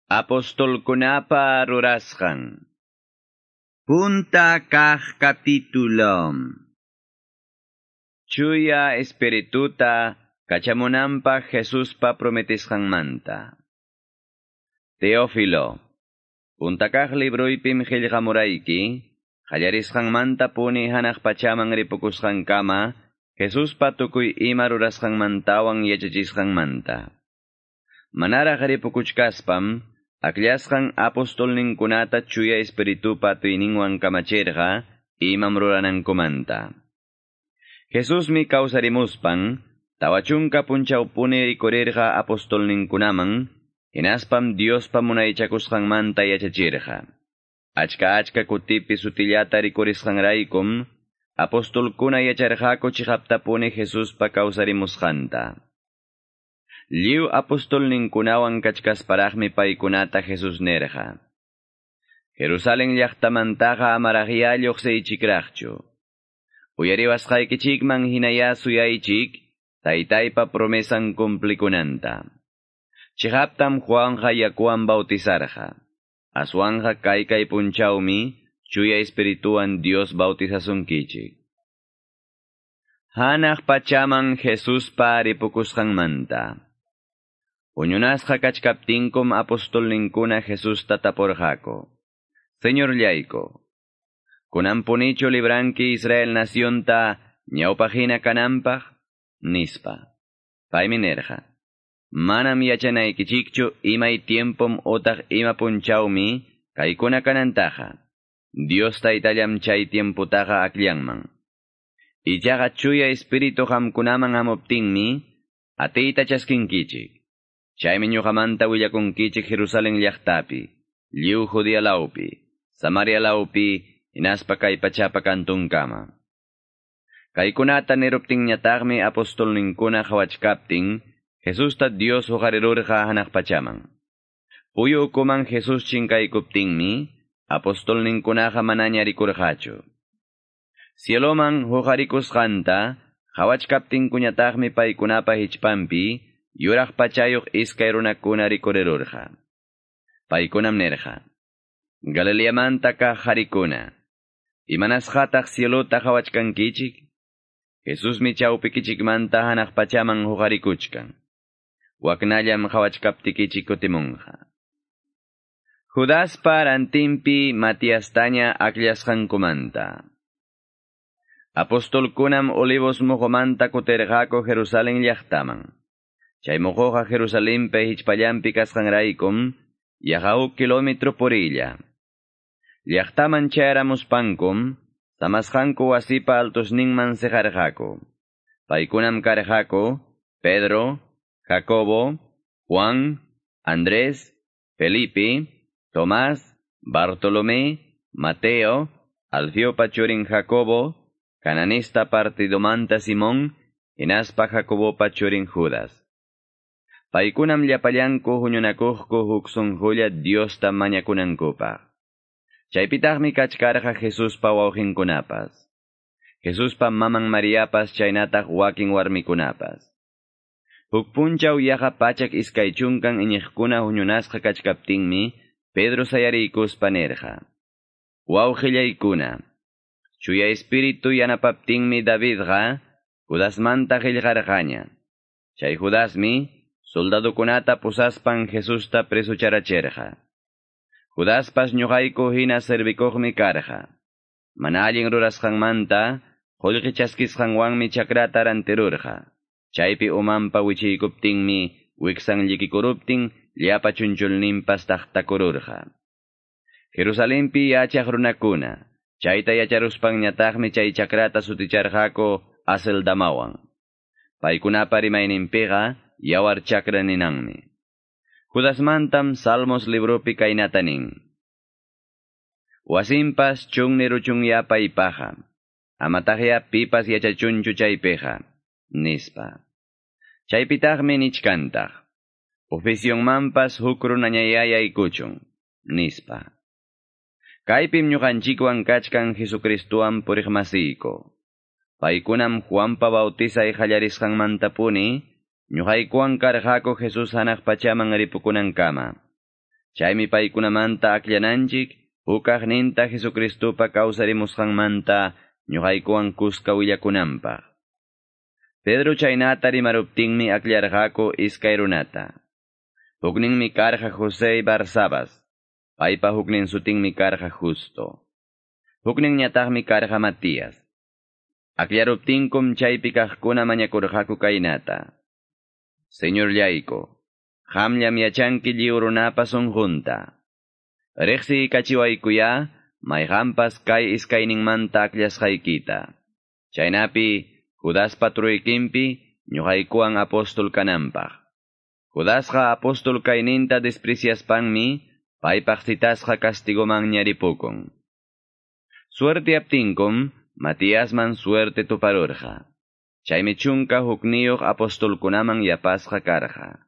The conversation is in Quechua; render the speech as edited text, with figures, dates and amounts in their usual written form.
Apostolkunapa rurasqan. Punta kaq capítulo. Chuya Espirituta kachamunanpaq Jesuspa prometisqanmanta. Teófilo, punta kaq libroypim qillqamurayki, qallarisqanmanta puni hanaq pachaman ripukusqankama, Jesuspa tukuy ima rurasqanmantawan yachachisqanmanta. Manaraq ripukuchkaspam, akllasqan apostolninkunata Chuya Espiritupa atiyninwan kamachirqa imam ruranankumanta. Jesusmi kawsarimuspan, 40 punchawpuni rikurirqa apostolninkunaman, hinaspam Diospa munaychakusqanmanta yachachirqa. Achka achka kutipi sutillata rikurisqanraykum, apostolkuna yacharqaku chiqaptapuni Jesuspa kawsarimusqanta. Lliw apostolninkunawan kachkasparaqmi paykunata Jesús nirqa: Jerusalén llaqtamantaqa amaraqyá lluqsiychikraqchu. Uyariwasqaykichikman hinayá suyaychik, Taytaypa promesan cumplikunanta. Chiqaptam Juanja yakuwan bautizarqa. Aswanja kaykay punchawmi Chuya Espirituwan Dios bautizasunkichik. Hanaq pachaman Jesuspa ripukusqanmanta. Huñunasqa kachkaptinkum apostolninkuna Jesusta tapurqaku: Señorllayku, kunanpunichu libranki Israel nacionta ñawpaqhina kananpaq? Nispa. Paymi nirqa: Manam yachanaykichikchu imay tiempom otaq ima punchawmi kaykuna kanantaqa. Dios Taytallam chay tiemputaqa akllanman. Ichaqa Chuya Espíritu qamkunaman hamuptinmi atiyta chaskinkichik. Chaymi ñuqamanta willakunkichik Jerusalén llaqtapi, lliw Judea lawpi, Samaria lawpi, hinaspa kay pachapa kantunkama. Kaykunata niruptinñataqmi apostolninkuna qhawachkaptin, Jesusta Dios huqarirurqa hanaq pachaman. Puyu ukuman Jesús chinkaykuptinmi, apostolninkunaqa manaña rikurqachu. Cieloman huqarikusqanta, qhawachkaptinkuñataqmi paykunapa hichpanpi, yuraq pachayuq iskay runakuna rikurirurqa. Paykunam nirqa: Galileamanta kaq qarikuna, imanasqataq cielota qhawachkankichik? Jesusmi chawpikichikmanta hanaq pachaman huqarikuchkan. Waknallam qhawachkaptikichik kutimunqa. Judaspa rantinpi Matiastaña akllasqankumanta. Apostolkunam Olivos muqumanta kutirqaku Jerusalén llaqtaman. Chay muquqa Jerusalenpi hichpallanpi kasqanraykum, yaqa huk kilómetro purilla. Llaqtaman chayaramuspankum, samasqanku wasipa altosninman siqarqaku. Paykunam karqaku Pedro, Jacobo, Juan, Andrés, Felipe, Tomás, Bartolomé, Mateo, Alfeopa churin Jacobo, Cananista partidomanta Simón, hinaspa Jacobopa churin Judas. Paykunam llapallanku huñunakuqku huk sunqulla Diosta mañakunankupaq. Chaypitaqmi kachkarqa Jesuspa wawqinkunapas, Jesuspa maman Mariapas chaynataq wakin warmikunapas. Huk punchaw yaqa 120 iñiqkuna huñunasqa kachkaptinmi, Pedro sayariykuspa nirqa: Wawqillaykuna, Chuya Espíritu yanapaptinmi Davidqa Judasmanta qillqarqaña. Chay Judasmi soldadokunata pusaspan Jesusta presucharachirqa. Judaspas ñuqayku hina servikuqmi karqa. Mana allin rurasqanmanta qullqi chaskisqanwanmi chakrata rantirurqa. Chaypi umanpa wichiykuptinmi wiksan llikikuruptin llapa chunchulninpas taqtakururqa. Jerusalenpi yachaq runakuna, chayta yacharuspanñataqmi chay chakrata suticharqaku Aceldamawan. Paykunapa rimayninpiqa yawar chakra ninanmi. Judasmantam Salmos libropi kaynata nin: Wasinpas chunni ruchunyá paypaqa, amataqyá pipas yachachunchu chaypiqa, nispa. Chaypitaqmi nichkantaq: Oficionmanpas huk runañayá yaykuchun, nispa. Kaypim ñuqanchikwan kachkan Jesucristuwan puriqmasiyku. Paykunam Juanpa bautizay qallarisqanmantapuni ñuqaykuwan karqaku Jesús hanaq pachaman ripukunankama. Chaymi paykunamanta akllananchik hukaqninta Jesucristopa kawsarimusqanmanta ñuqaykuwan kuska willakunanpaq. Pedro chaynata rimaruptinmi akllarqaku iskay runata. Hukninmi karqa José Barsabas, paypa huknin sutinmi karqa Justo. Hukninñataqmi karqa Matías. Akllaruptinkum chaypi kaqkuna mañakurqaku kaynata. Señorllayku, qamllam yachanki lliw runapa sunqunta. Riqsiykachiwaykuya mayqanpas kay iskayninmanta akllashqaykita. Chaynapi Judaspa truykinpi ñuqaykuwan apóstol kananpaq. Judasqa apóstol kayninta despreciaspanmi paypaq citasqa castigoman ñaripukun. Suertiaptinkum Matíasman suerte tuparurqa. Chaymi chunka hukniyuq apostolkunaman yapasqa karqa.